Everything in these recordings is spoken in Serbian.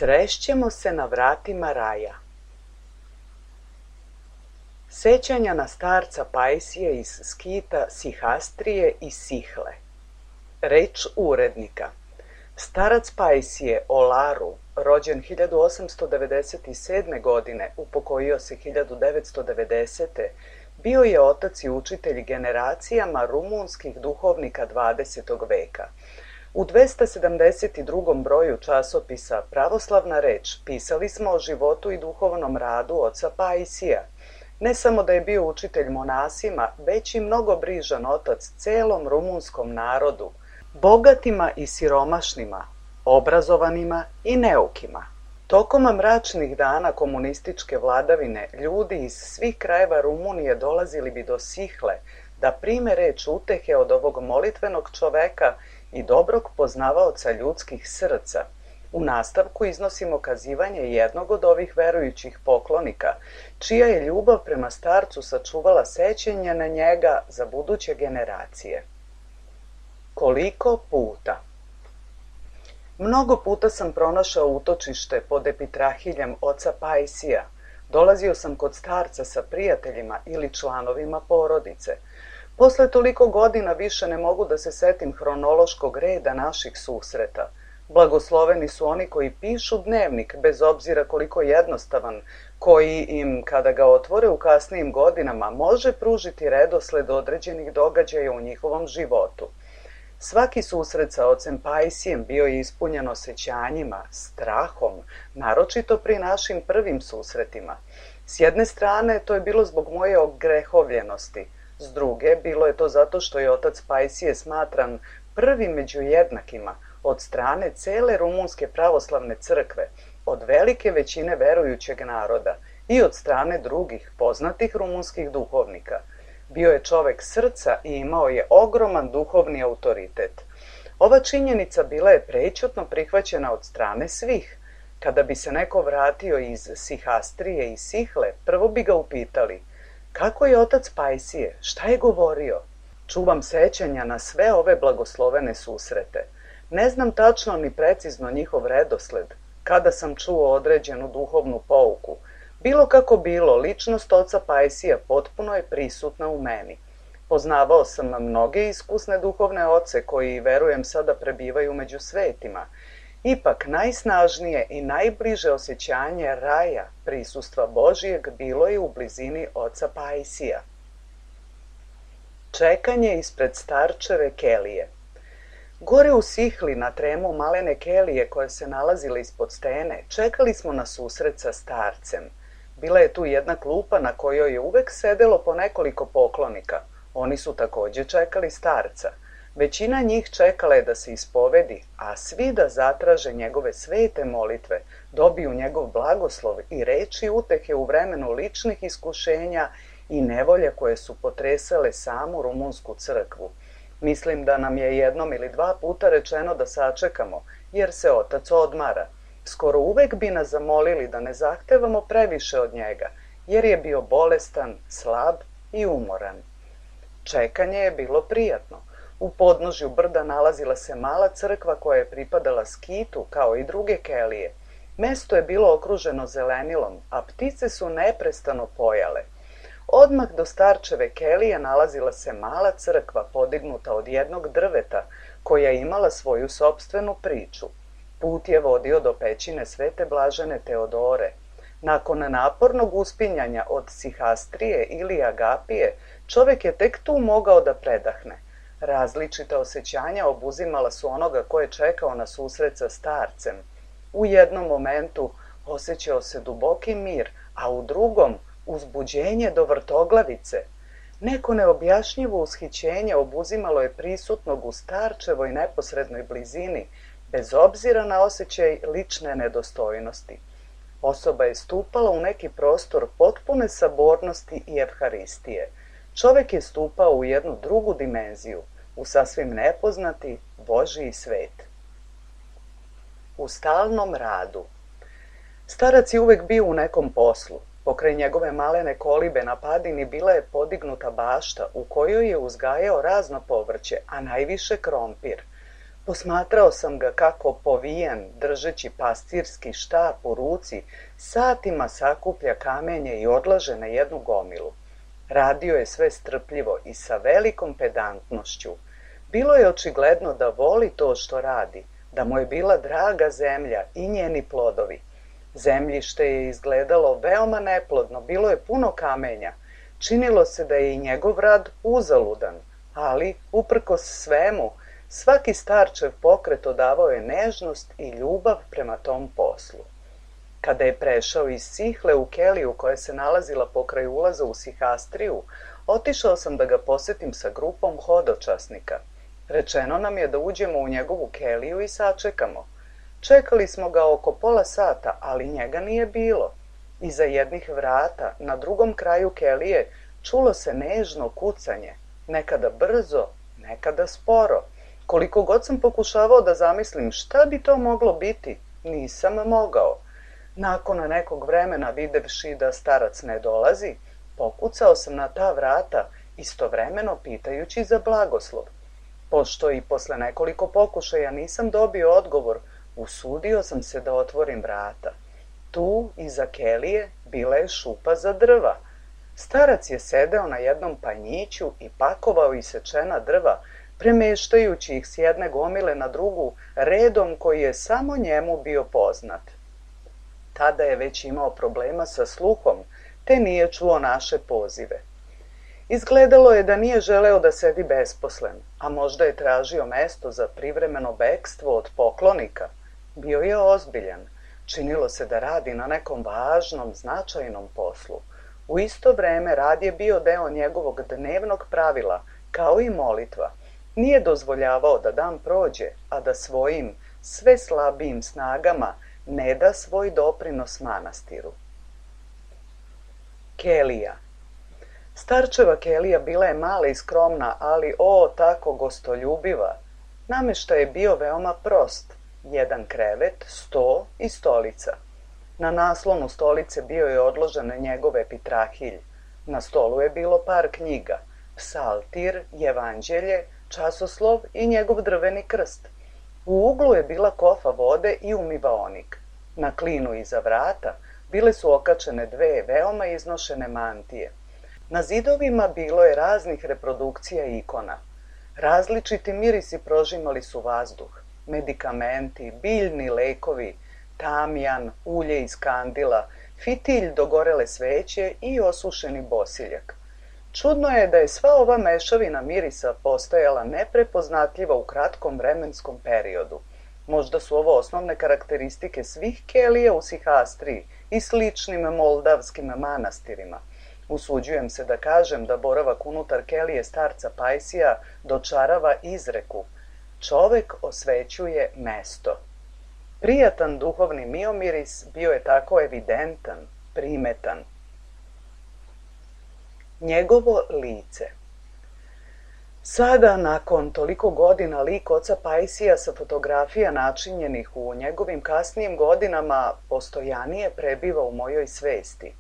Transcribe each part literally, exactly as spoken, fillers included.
Srešćemo se na vratima raja. Sećanja na starca Pajsije iz Skita, Sihastrije i Sihle. Reč urednika. Starac Pajsije, Olaru, rođen hiljadu osamsto devedeset sedme. godine, upokojio se hiljadu devetsto devedesete. bio je otac i učitelj generacijama rumunskih duhovnika dvadesetog veka. U dvesta sedamdeset drugom broju časopisa Pravoslavna reč pisali smo o životu i duhovnom radu oca Pajsija. Ne samo da je bio učitelj monasima, već i mnogo brižan otac celom rumunskom narodu, bogatima i siromašnima, obrazovanima i neukima. Tokom mračnih dana komunističke vladavine ljudi iz svih krajeva Rumunije dolazili bi do Sihle da prime reč utehe od ovog molitvenog čoveka i dobrog poznavaoca ljudskih srca. U nastavku iznosimo kazivanje jednog od ovih verujućih poklonika, čija je ljubav prema starcu sačuvala sećanje na njega za buduće generacije. Koliko puta? Mnogo puta sam pronašao utočište pod epitrahiljem oca Pajsija. Dolazio sam kod starca sa prijateljima ili članovima porodice. Posle toliko godina više ne mogu da se setim hronološkog reda naših susreta. Blagosloveni su oni koji pišu dnevnik, bez obzira koliko jednostavan, koji im, kada ga otvore u kasnijim godinama, može pružiti redosled određenih događaja u njihovom životu. Svaki susret sa ocem Pajsijem bio je ispunjen osećanjima, strahom, naročito pri našim prvim susretima. S jedne strane, to je bilo zbog moje ogrehovljenosti, s druge, bilo je to zato što je otac Pajsije smatran prvi među jednakima od strane cele rumunske pravoslavne crkve, od velike većine verujućeg naroda i od strane drugih poznatih rumunskih duhovnika. Bio je čovek srca i imao je ogroman duhovni autoritet. Ova činjenica bila je prećutno prihvaćena od strane svih. Kada bi se neko vratio iz Sihastrije i Sihle, prvo bi ga upitali: kako je otac Pajsije, šta je govorio? Čuvam sećanja na sve ove blagoslovene susrete. Ne znam tačno ni precizno njihov redosled, kada sam čuo određenu duhovnu pouku. Bilo kako bilo, ličnost oca Pajsija potpuno je prisutna u meni. Poznavao sam mnoge iskusne duhovne oce koji, verujem, sada prebivaju među svetima. Ipak, najsnažnije i najbliže osjećanje raja, prisustva Božijeg, bilo je u blizini oca Pajsija. Čekanje ispred starčeve kelije. Gore u Sihli, na tremu malene kelije koje se nalazile ispod stene, čekali smo na susret sa starcem. Bila je tu jedna klupa na kojoj je uvek sedelo po nekoliko poklonika. Oni su takođe čekali starca. Većina njih čekala je da se ispovedi, a svi da zatraže njegove svete molitve, dobiju njegov blagoslov i reči utehe u vremenu ličnih iskušenja i nevolja koje su potresale samu rumunsku crkvu. Mislim da nam je jednom ili dva puta rečeno da sačekamo, jer se otac odmara. Skoro uvek bi nas zamolili da ne zahtevamo previše od njega, jer je bio bolestan, slab i umoran. Čekanje je bilo prijatno. U podnožju brda nalazila se mala crkva koja je pripadala skitu, kao i druge kelije. Mesto je bilo okruženo zelenilom, a ptice su neprestano pojale. Odmah do starčeve kelije nalazila se mala crkva podignuta od jednog drveta, koja je imala svoju sopstvenu priču. Put je vodio do pećine Svete Blažene Teodore. Nakon napornog uspinjanja od Sihastrije ili Agapije, čovek je tek tu mogao da predahne. Različita osjećanja obuzimala su onoga ko je čekao na susret sa starcem. U jednom momentu osjećao se duboki mir, a u drugom uzbuđenje do vrtoglavice. Neko neobjašnjivo ushićenje obuzimalo je prisutnog u starčevoj neposrednoj blizini, bez obzira na osjećaj lične nedostojnosti. Osoba je stupala u neki prostor potpune sabornosti i evharistije. Čovek je stupao u jednu drugu dimenziju, u sasvim nepoznati Božiji svet. U stalnom radu. Starac je uvek bio u nekom poslu. Pokraj njegove malene kolibe na padini bila je podignuta bašta u kojoj je uzgajao razno povrće, a najviše krompir. Posmatrao sam ga kako povijen, držeći pastirski štap u ruci, satima sakuplja kamenje i odlaže na jednu gomilu. Radio je sve strpljivo i sa velikom pedantnošću. Bilo je očigledno da voli to što radi, da mu je bila draga zemlja i njeni plodovi. Zemljište je izgledalo veoma neplodno, bilo je puno kamenja. Činilo se da je i njegov rad uzaludan, ali, uprkos svemu, svaki starčev pokret odavao je nežnost i ljubav prema tom poslu. Kada je prešao iz Sihle u keliju koja se nalazila pokraj ulaza u Sihastriju, otišao sam da ga posetim sa grupom hodočasnika. Rečeno nam je da uđemo u njegovu keliju i sačekamo. Čekali smo ga oko pola sata, ali njega nije bilo. Iza jednih vrata, na drugom kraju kelije, čulo se nežno kucanje, nekada brzo, nekada sporo. Koliko god sam pokušavao da zamislim šta bi to moglo biti, nisam mogao. Nakon nekog vremena, videvši da starac ne dolazi, pokucao sam na ta vrata, istovremeno pitajući za blagoslov. Pošto i posle nekoliko pokušaja nisam dobio odgovor, usudio sam se da otvorim vrata. Tu, iza kelije, bila je šupa za drva. Starac je sedeo na jednom panjiću i pakovao isečena drva, premeštajući ih s jedne gomile na drugu redom koji je samo njemu bio poznat. Tada je već imao problema sa sluhom, te nije čuo naše pozive. Izgledalo je da nije želeo da sedi besposlen, a možda je tražio mesto za privremeno bekstvo od poklonika. Bio je ozbiljan. Činilo se da radi na nekom važnom, značajnom poslu. U isto vreme rad je bio deo njegovog dnevnog pravila, kao i molitva. Nije dozvoljavao da dan prođe, a da svojim sve slabijim snagama ne da svoj doprinos manastiru. Kelija. Starčeva kelija bila je mala i skromna, ali o, tako gostoljubiva. Nameštaj je bio veoma prost. Jedan krevet, sto i stolica. Na naslonu stolice bio je odložen njegov epitrahilj. Na stolu je bilo par knjiga, psaltir, evanđelje, časoslov i njegov drveni krst. U uglu je bila kofa vode i umivaonik. Na klinu iza vrata bile su okačene dve veoma iznošene mantije. Na zidovima bilo je raznih reprodukcija ikona. Različiti mirisi prožimali su vazduh. Medikamenti, biljni lekovi, tamjan, ulje iz kandila, fitilj dogorele sveće i osušeni bosiljak. Čudno je da je sva ova mešavina mirisa postojala neprepoznatljiva u kratkom vremenskom periodu. Možda su ovo osnovne karakteristike svih kelija u Sihastriji i sličnim moldavskim manastirima. Usuđujem se da kažem da boravak unutar kelije starca Pajsija dočarava izreku: čovek osvećuje mesto. Prijatan duhovni miomiris bio je tako evidentan, primetan. Njegovo lice. Sada, nakon toliko godina, lik oca Pajsija sa fotografija načinjenih u njegovim kasnijim godinama postojanije prebiva u mojoj svesti.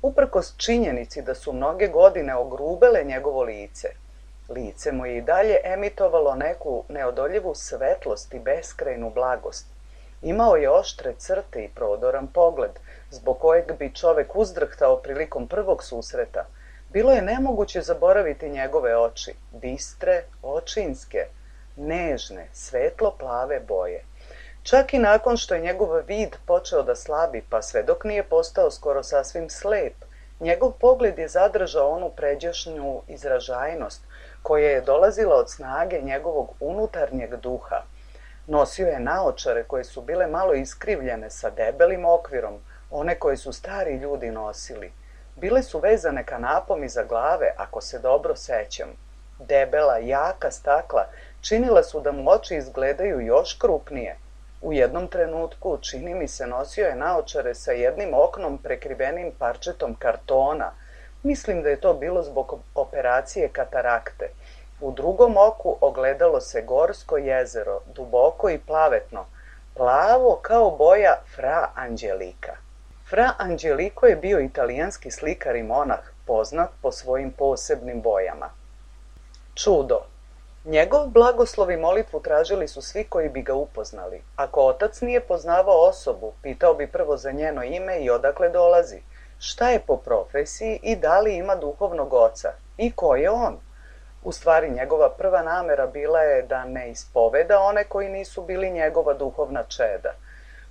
Uprkos činjenici da su mnoge godine ogrubele njegovo lice, lice mu je i dalje emitovalo neku neodoljivu svetlost i beskrajnu blagost. Imao je oštre crte i prodoran pogled, zbog kojeg bi čovek uzdrhtao prilikom prvog susreta. Bilo je nemoguće zaboraviti njegove oči, bistre, očinske, nežne, svetlo-plave boje. Čak i nakon što je njegov vid počeo da slabi, pa sve dok nije postao skoro sasvim slep, njegov pogled je zadržao onu pređašnju izražajnost koja je dolazila od snage njegovog unutarnjeg duha. Nosio je naočare koje su bile malo iskrivljene sa debelim okvirom, one koje su stari ljudi nosili. Bile su vezane kanapom iza glave, ako se dobro sećam. Debela, jaka stakla činila su da mu oči izgledaju još krupnije. U jednom trenutku, čini mi se, nosio je naočare sa jednim oknom prekrivenim parčetom kartona. Mislim da je to bilo zbog operacije katarakte. U drugom oku ogledalo se gorsko jezero, duboko i plavetno, plavo kao boja Fra Anđelika. Fra Anđeliko je bio italijanski slikar i monah, poznat po svojim posebnim bojama. Čudo. Njegov blagoslov i molitvu tražili su svi koji bi ga upoznali. Ako otac nije poznavao osobu, pitao bi prvo za njeno ime i odakle dolazi, šta je po profesiji i da li ima duhovnog oca i ko je on. U stvari, njegova prva namera bila je da ne ispoveda one koji nisu bili njegova duhovna čeda.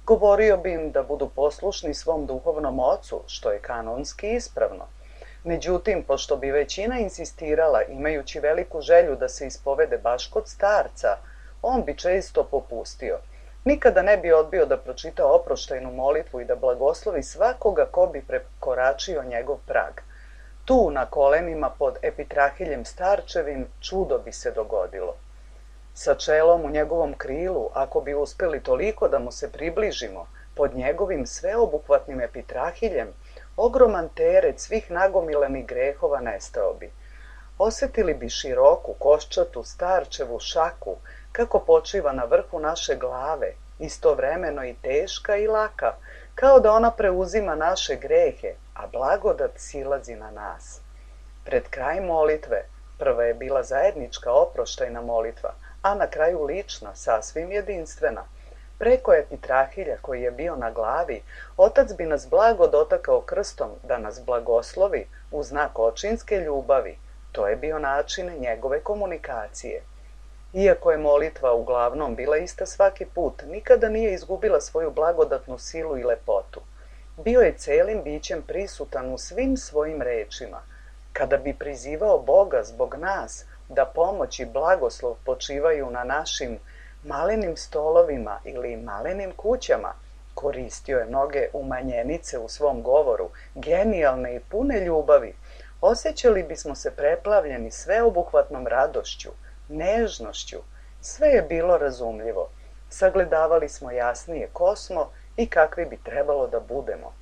Govorio bi im da budu poslušni svom duhovnom ocu, što je kanonski ispravno. Međutim, pošto bi većina insistirala, imajući veliku želju da se ispovede baš kod starca, on bi često popustio. Nikada ne bi odbio da pročita oproštajnu molitvu i da blagoslovi svakoga ko bi prekoračio njegov prag. Tu, na kolenima pod epitrahiljem starčevim, čudo bi se dogodilo. Sa čelom u njegovom krilu, ako bi uspeli toliko da mu se približimo, pod njegovim sveobuhvatnim epitrahiljem, ogroman teret svih nagomilanih grehova nestao bi. Osetili bi široku, koščatu, starčevu šaku, kako počiva na vrhu naše glave, istovremeno i teška i laka, kao da ona preuzima naše grehe, a blagodat silazi na nas. Pred kraj molitve, prva je bila zajednička oproštajna molitva, a na kraju lična, sasvim jedinstvena. Preko epitrahilja koji je bio na glavi, otac bi nas blago dotakao krstom da nas blagoslovi u znak očinske ljubavi. To je bio način njegove komunikacije. Iako je molitva uglavnom bila ista svaki put, nikada nije izgubila svoju blagodatnu silu i lepotu. Bio je celim bićem prisutan u svim svojim rečima. Kada bi prizivao Boga zbog nas da pomoć i blagoslov počivaju na našim malenim stolovima ili malenim kućama, koristio je mnoge umanjenice u svom govoru, genijalne i pune ljubavi, osjećali bismo se preplavljeni sveobuhvatnom radošću, nežnošću. Sve je bilo razumljivo. Sagledavali smo jasnije ko smo i kakvi bi trebalo da budemo.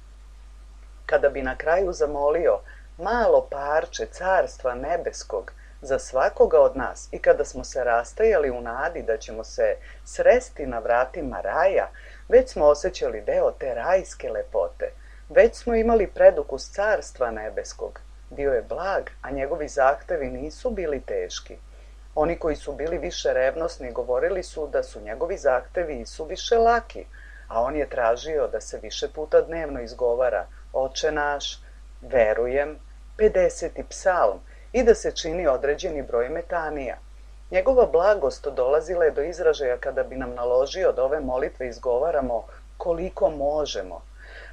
Kada bi na kraju zamolio malo parče carstva nebeskog za svakoga od nas i kada smo se rastajali u nadi da ćemo se sresti na vratima raja, već smo osjećali deo te rajske lepote, već smo imali predukus carstva nebeskog. Bio je blag, a njegovi zahtevi nisu bili teški. Oni koji su bili više revnosni govorili su da su njegovi zahtevi i su više laki, a on je tražio da se više puta dnevno izgovara Oče naš, verujem, pedeseti psalm i da se čini određeni broj metanija. Njegova blagost dolazila je do izražaja kada bi nam naložio da ove molitve izgovaramo koliko možemo,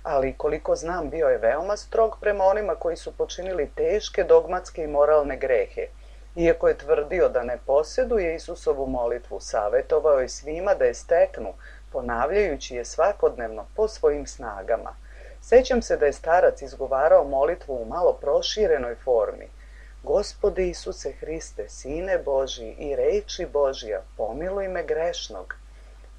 ali koliko znam bio je veoma strog prema onima koji su počinili teške dogmatske i moralne grehe. Iako je tvrdio da ne posjeduje Isusovu molitvu, savjetovao je svima da je steknu, ponavljajući je svakodnevno po svojim snagama. Sećam se da je starac izgovarao molitvu u malo proširenoj formi. Gospode Isuse Hriste, Sine Božji i reči Božja, pomiluj me grešnog.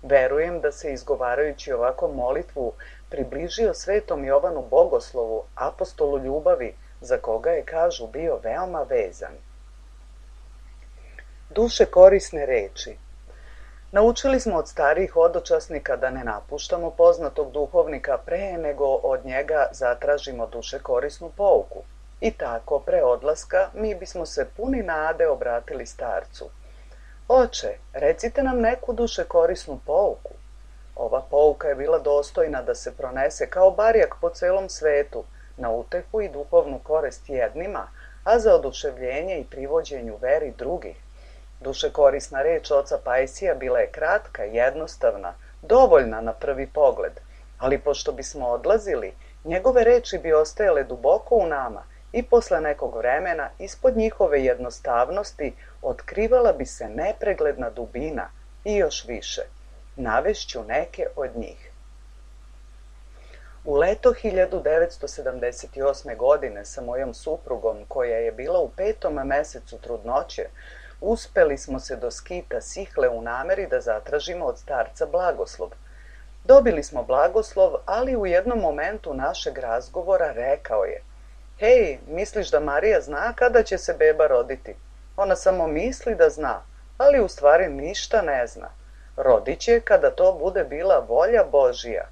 Verujem da se izgovarajući ovako molitvu približio svetom Jovanu Bogoslovu, apostolu ljubavi, za koga je, kažu, bio veoma vezan. Duše korisne reči. Naučili smo od starijih hodočasnika da ne napuštamo poznatog duhovnika pre nego od njega zatražimo duše korisnu pouku. I tako, pre odlaska, mi bismo se puni nade obratili starcu. Oče, recite nam neku duše korisnu pouku. Ova pouka je bila dostojna da se pronese kao barjak po celom svetu, na utehu i duhovnu korist jednima, a za oduševljenje i privođenju veri drugih. Duše korisna reč oca Pajsija bila je kratka, jednostavna, dovoljna na prvi pogled, ali pošto bismo odlazili, njegove reči bi ostajale duboko u nama i posle nekog vremena ispod njihove jednostavnosti otkrivala bi se nepregledna dubina i još više. Navešću neke od njih. U leto hiljadu devetsto sedamdeset osme. godine sa mojom suprugom, koja je bila u petom mesecu trudnoće, uspeli smo se do skita Sihle u nameri da zatražimo od starca blagoslov. Dobili smo blagoslov, ali u jednom momentu našeg razgovora rekao je: Hej, misliš da Marija zna kada će se beba roditi? Ona samo misli da zna, ali u stvari ništa ne zna. Rodit će kada to bude bila volja Božija.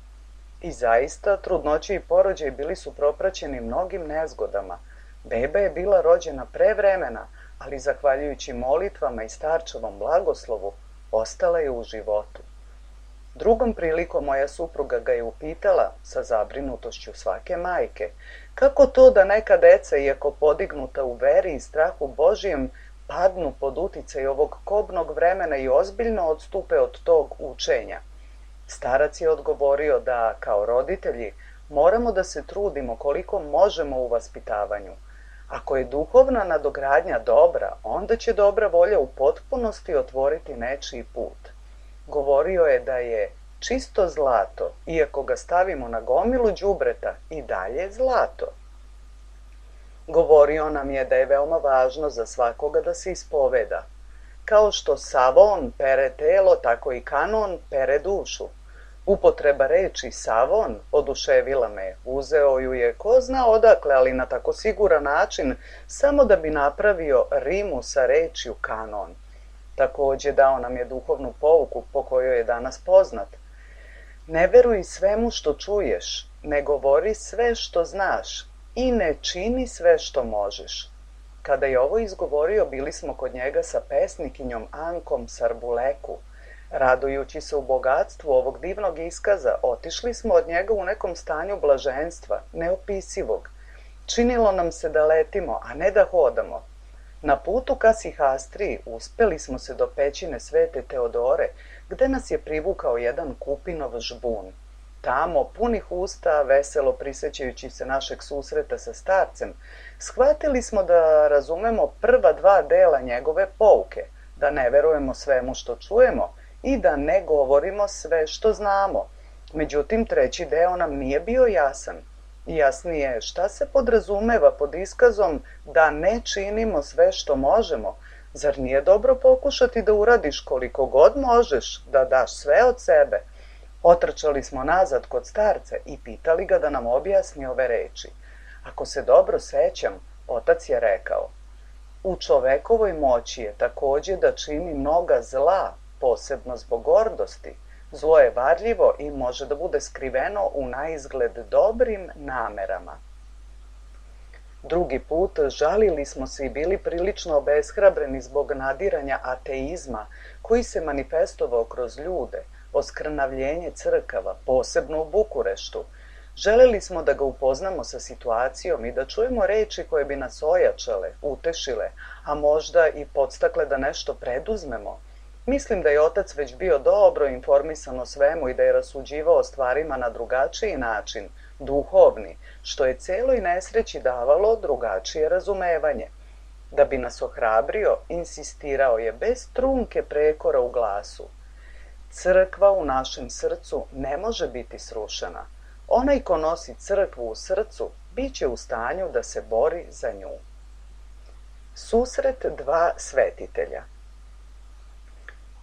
I zaista, trudnoće i porođaj bili su propraćeni mnogim nezgodama. Beba je bila rođena pre vremena, ali zahvaljujući molitvama i starčevom blagoslovu, ostala je u životu. Drugom prilikom moja supruga ga je upitala, sa zabrinutošću svake majke, kako to da neka deca, iako podignuta u veri i strahu Božijem, padnu pod uticaj ovog kobnog vremena i ozbiljno odstupe od tog učenja. Starac je odgovorio da, kao roditelji, moramo da se trudimo koliko možemo u vaspitavanju. Ako je duhovna nadogradnja dobra, onda će dobra volja u potpunosti otvoriti nečiji put. Govorio je da je čisto zlato, iako ga stavimo na gomilu đubreta, i dalje zlato. Govorio nam je da je veoma važno za svakoga da se ispoveda. Kao što savon pere telo, tako i kanon pere dušu. Upotreba reči savon oduševila me. Uzeo ju je ko zna odakle, ali na tako siguran način, samo da bi napravio rimu sa rečju kanon. Takođe dao nam je duhovnu pouku po kojoj je danas poznat. Ne veruj svemu što čuješ, ne govori sve što znaš i ne čini sve što možeš. Kada je ovo izgovorio, bili smo kod njega sa pesnikinjom Ankom Sarbuleku. Radujući se u bogatstvu ovog divnog iskaza, otišli smo od njega u nekom stanju blaženstva, neopisivog. Činilo nam se da letimo, a ne da hodamo. Na putu ka Sihastriji uspeli smo se do pećine Svete Teodore, gde nas je privukao jedan kupinov žbun. Tamo, punih usta, veselo prisećajući se našeg susreta sa starcem, shvatili smo da razumemo prva dva dela njegove pouke, da ne verujemo svemu što čujemo i da ne govorimo sve što znamo. Međutim, treći deo nam nije bio jasan. Jasnije, šta se podrazumeva pod iskazom da ne činimo sve što možemo? Zar nije dobro pokušati da uradiš koliko god možeš, da daš sve od sebe? Otrčali smo nazad kod starca i pitali ga da nam objasni ove reči. Ako se dobro sećam, otac je rekao: u čovekovoj moći je takođe da čini mnoga zla, posebno zbog gordosti. Zlo je varljivo i može da bude skriveno u naizgled dobrim namerama. Drugi put žalili smo se i bili prilično obeshrabreni zbog nadiranja ateizma koji se manifestovao kroz ljude, oskrnavljenje crkava, posebno u Bukureštu. Želeli smo da ga upoznamo sa situacijom i da čujemo reči koje bi nas ojačale, utešile, a možda i podstakle da nešto preduzmemo. Mislim da je otac već bio dobro informisan o svemu i da je rasuđivao o stvarima na drugačiji način, duhovni, što je celoj nesreći davalo drugačije razumevanje. Da bi nas ohrabrio, insistirao je bez trunke prekora u glasu: crkva u našem srcu ne može biti srušena. Onaj ko nosi crkvu u srcu, bit će u stanju da se bori za nju. Susret dva svetitelja.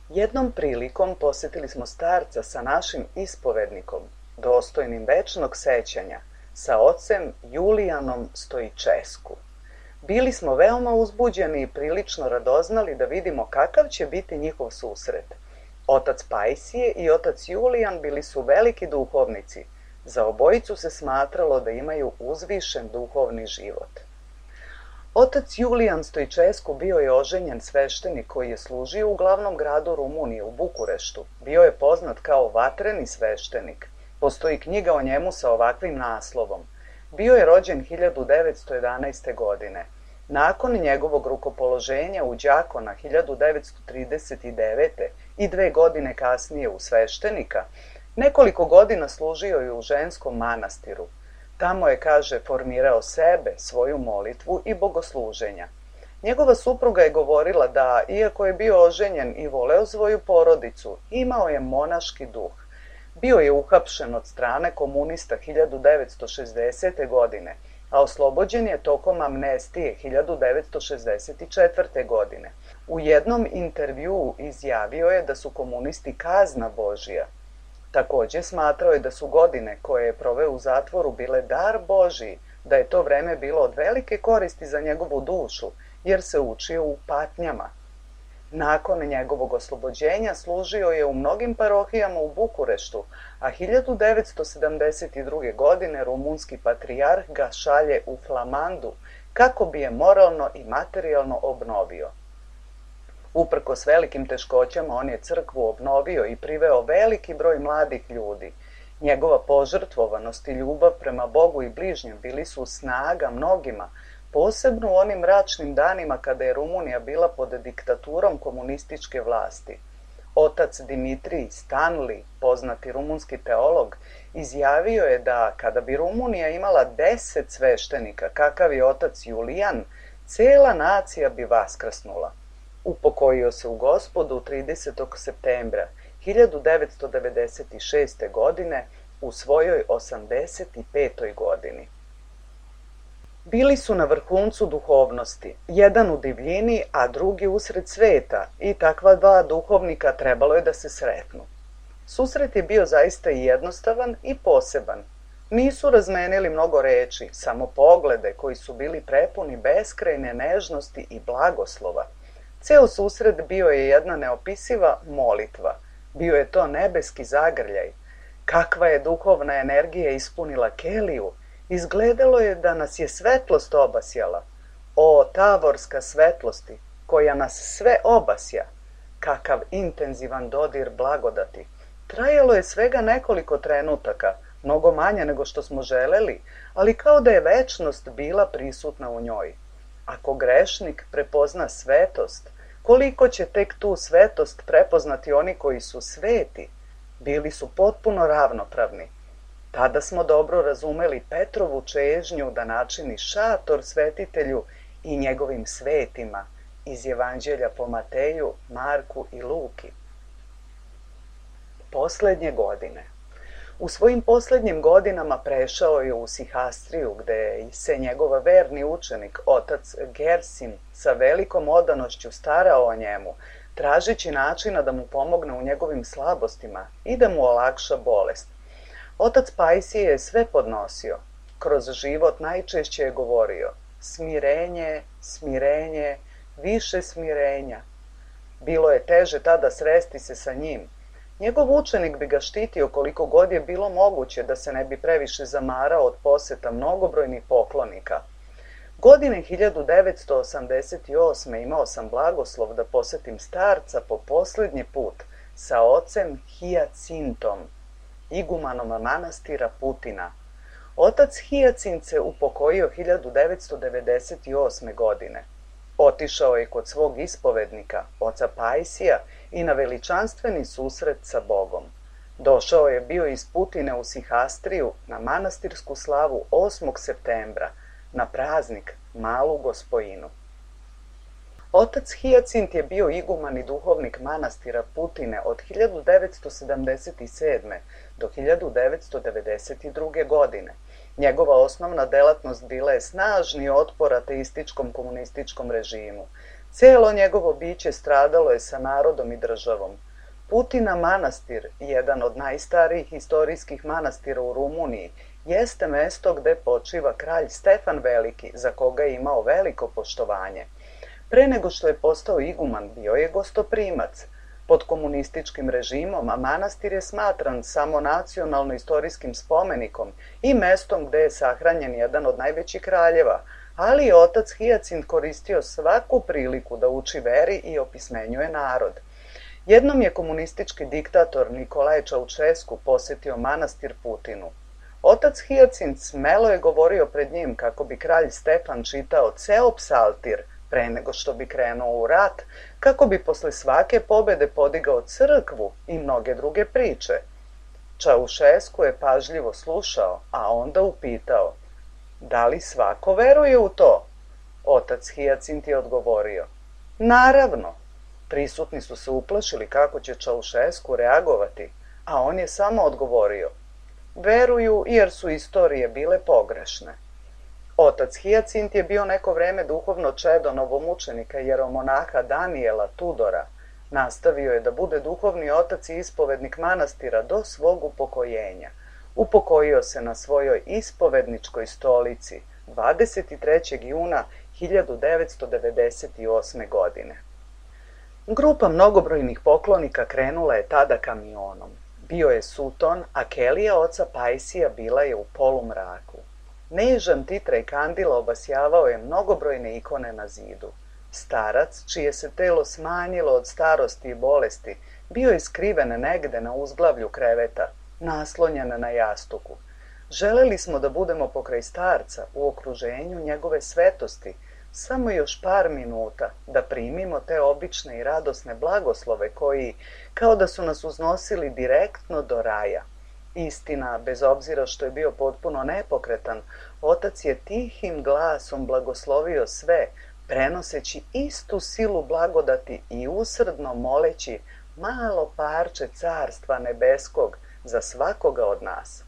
Jednom prilikom posetili smo starca sa našim ispovednikom, dostojnim večnog sećanja, sa ocem Julijanom Stojičesku. Bili smo veoma uzbuđeni i prilično radoznali da vidimo kakav će biti njihov susret. Otac Pajsije i otac Julijan bili su veliki duhovnici. Za obojicu se smatralo da imaju uzvišen duhovni život. Otac Julijan Stojičesku bio je oženjen sveštenik koji je služio u glavnom gradu Rumunije, u Bukureštu. Bio je poznat kao vatreni sveštenik. Postoji knjiga o njemu sa ovakvim naslovom. Bio je rođen hiljadu devetsto jedanaeste. godine. Nakon njegovog rukopoloženja u đakona hiljadu devetsto trideset devete. i dve godine kasnije u sveštenika, nekoliko godina služio je u ženskom manastiru. Tamo je, kaže, formirao sebe, svoju molitvu i bogosluženja. Njegova supruga je govorila da, iako je bio oženjen i voleo svoju porodicu, imao je monaški duh. Bio je uhapšen od strane komunista hiljadu devetsto šezdesete. godine, a oslobođen je tokom amnestije hiljadu devetsto šezdeset četvrte. godine. U jednom intervjuu izjavio je da su komunisti kazna Božija. Takođe smatrao je da su godine koje je proveo u zatvoru bile dar Božiji, da je to vreme bilo od velike koristi za njegovu dušu, jer se učio u patnjama. Nakon njegovog oslobođenja služio je u mnogim parohijama u Bukureštu, a hiljadu devetsto sedamdeset druge. godine rumunski patrijarh ga šalje u Flamandu kako bi je moralno i materijalno obnovio. Uprkos velikim teškoćama on je crkvu obnovio i priveo veliki broj mladih ljudi. Njegova požrtvovanost i ljubav prema Bogu i bližnjem bili su snaga mnogima, posebno u onim mračnim danima kada je Rumunija bila pod diktaturom komunističke vlasti. Otac Dimitrij Stanli, poznati rumunski teolog, izjavio je da kada bi Rumunija imala deset sveštenika, kakav je otac Julijan, cela nacija bi vaskrsnula. Upokojio se u Gospodu tridesetog septembra hiljadu devetsto devedeset šeste. godine u svojoj osamdeset petoj. godini. Bili su na vrhuncu duhovnosti, jedan u divljini, a drugi usred sveta, i takva dva duhovnika trebalo je da se sretnu. Susret je bio zaista i jednostavan i poseban. Nisu razmenili mnogo reči, samo poglede koji su bili prepuni beskrajne nežnosti i blagoslova. Ceo susret bio je jedna neopisiva molitva. Bio je to nebeski zagrljaj. Kakva je duhovna energija ispunila keliju, izgledalo je da nas je svetlost obasjala. O, tavorska svetlosti, koja nas sve obasja! Kakav intenzivan dodir blagodati! Trajalo je svega nekoliko trenutaka, mnogo manje nego što smo želeli, ali kao da je večnost bila prisutna u njoj. Ako grešnik prepozna svetost, koliko će tek tu svetost prepoznati oni koji su sveti? Bili su potpuno ravnopravni. Tada smo dobro razumeli Petrovu čežnju da načini šator svetitelju i njegovim svetima iz Evanđelja po Mateju, Marku i Luki. Poslednje godine. U svojim poslednjim godinama prešao je u Sihastriju, gde se njegov verni učenik, otac Gersim, sa velikom odanošću starao o njemu, tražeći načina da mu pomogne u njegovim slabostima i da mu olakša bolest. Otac Pajsije je sve podnosio. Kroz život najčešće je govorio: smirenje, smirenje, više smirenja. Bilo je teže tada sresti se sa njim. Njegov učenik bi ga štitio koliko god je bilo moguće da se ne bi previše zamarao od poseta mnogobrojnih poklonika. Godine hiljadu devetsto osamdeset osme. imao sam blagoslov da posetim starca po posljednji put sa ocem Hijacintom, igumanom manastira Putina. Otac Hijacint se upokojio hiljadu devetsto devedeset osme. godine. Otišao je kod svog ispovednika, oca Pajsija, i na veličanstveni susret sa Bogom. Došao je bio iz Putine u Sihastriju na manastirsku slavu osmog septembra, na praznik Malu Gospojinu. Otac Hijacint je bio iguman i duhovnik manastira Putine od hiljadu devetsto sedamdeset sedme. do hiljadu devetsto devedeset druge. godine. Njegova osnovna delatnost bila je snažni otpor ateističkom komunističkom režimu. Cijelo njegovo biće stradalo je sa narodom i državom. Putina manastir, jedan od najstarijih historijskih manastira u Rumuniji, jeste mesto gde počiva kralj Stefan Veliki, za koga je imao veliko poštovanje. Pre nego što je postao iguman, bio je gostoprimac. Pod komunističkim režimom, a manastir je smatran samo nacionalno-istorijskim spomenikom i mestom gde je sahranjen jedan od najvećih kraljeva, ali je otac Hijacint koristio svaku priliku da uči veri i opismenjuje narod. Jednom je komunistički diktator Nikolaj Čaučesku posetio manastir Putinu. Otac Hijacint smelo je govorio pred njim kako bi kralj Stefan čitao ceo psaltir pre nego što bi krenuo u rat, kako bi posle svake pobede podigao crkvu i mnoge druge priče. Čaušesku je pažljivo slušao, a onda upitao: da li svako veruje u to? Otac Hijacint je odgovorio: naravno. Prisutni su se uplašili kako će Čaušesku reagovati, a on je samo odgovorio: veruju jer su istorije bile pogrešne. Otac Hijacint je bio neko vreme duhovno čedo novomučenika jeromonaha Danijela Tudora. Nastavio je da bude duhovni otac i ispovednik manastira do svog upokojenja. Upokojio se na svojoj ispovedničkoj stolici dvadeset trećeg juna hiljadu devetsto devedeset osme. godine. Grupa mnogobrojnih poklonika krenula je tada kamionom. Bio je suton, a kelija oca Pajsija bila je u polumraku. Nežan titraj kandila obasjavao je mnogobrojne ikone na zidu. Starac, čije se telo smanjilo od starosti i bolesti, bio je skriven negde na uzglavlju kreveta, naslonjen na jastuku. Želeli smo da budemo pokraj starca, u okruženju njegove svetosti, samo još par minuta da primimo te obične i radosne blagoslove koji, kao da su nas uznosili direktno do raja. Istina, bez obzira što je bio potpuno nepokretan, otac je tihim glasom blagoslovio sve, prenoseći istu silu blagodati i usrdno moleći malo parče carstva nebeskog za svakoga od nas.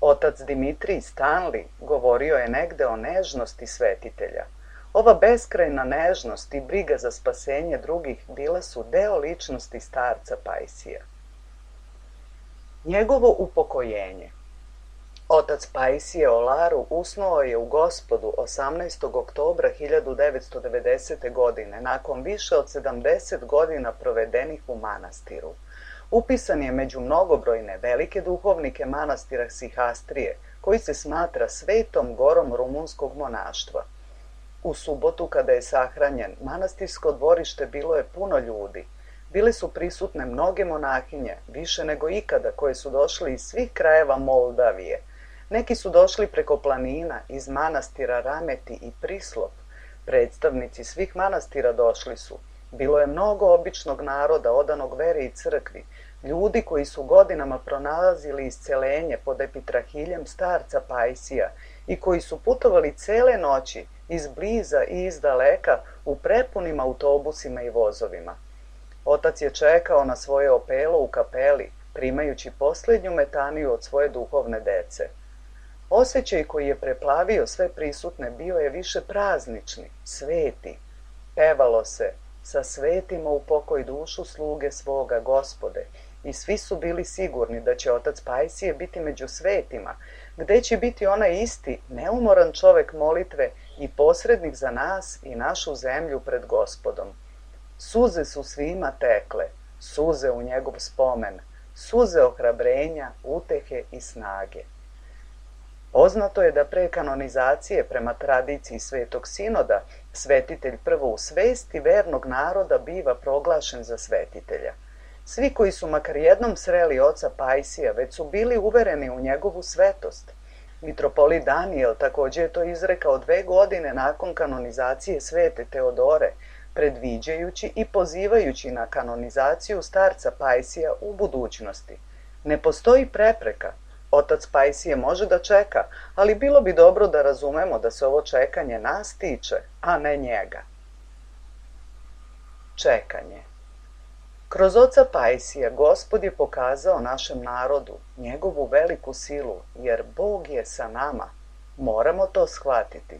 Otac Dimitrij Stanli govorio je negde o nežnosti svetitelja. Ova beskrajna nežnost i briga za spasenje drugih bila su deo ličnosti starca Pajsija. Njegovo upokojenje. Otac Pajsije Olaru usnuo je u Gospodu osamnaestog oktobra hiljadu devetsto devedesete. godine, nakon više od sedamdeset godina provedenih u manastiru. Upisan je među mnogobrojne velike duhovnike manastira Sihastrije, koji se smatra svetom gorom rumunskog monaštva. U subotu, kada je sahranjen, manastirsko dvorište bilo je puno ljudi. Bile su prisutne mnoge monahinje, više nego ikada, koje su došli iz svih krajeva Moldavije. Neki su došli preko planina, iz manastira Rameti i Prislop. Predstavnici svih manastira došli su. Bilo je mnogo običnog naroda, odanog veri i crkvi, ljudi koji su godinama pronalazili iscelenje pod epitrahiljem starca Pajsija i koji su putovali cele noći, iz bliza i iz daleka, u prepunim autobusima i vozovima. Otac je čekao na svoje opelo u kapeli, primajući posljednju metaniju od svoje duhovne dece. Osjećaj koji je preplavio sve prisutne bio je više praznični, sveti. Pevalo se: sa svetima u pokoj dušu sluge svoga Gospode, i svi su bili sigurni da će otac Pajsije biti među svetima, gde će biti onaj isti, neumoran čovek molitve i posrednik za nas i našu zemlju pred Gospodom. Suze su svima tekle, suze u njegov spomen, suze ohrabrenja, utehe i snage. Poznato je da pre kanonizacije, prema tradiciji Svetog Sinoda, svetitelj prvo u svesti vernog naroda biva proglašen za svetitelja. Svi koji su makar jednom sreli oca Pajsija već su bili uvereni u njegovu svetost. Mitropolit Danijel takođe je to izrekao dve godine nakon kanonizacije svete Teodore, predviđajući i pozivajući na kanonizaciju starca Pajsija u budućnosti. Ne postoji prepreka. Otac Pajsije može da čeka, ali bilo bi dobro da razumemo da se ovo čekanje nas tiče, a ne njega. Čekanje. Kroz oca Pajsija Gospod je pokazao našem narodu njegovu veliku silu, jer Bog je sa nama. Moramo to shvatiti.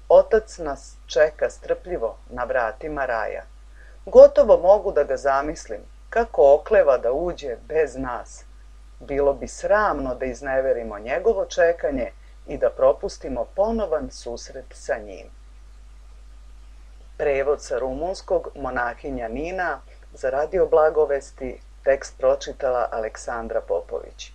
Otac nas čeka strpljivo na vratima raja. Gotovo mogu da ga zamislim, kako okleva da uđe bez nas. Bilo bi sramno da izneverimo njegovo čekanje i da propustimo ponovan susret sa njim. Prevod sa rumunskog monahinja Nina, za Radio Blagovesti, tekst pročitala Aleksandra Popović.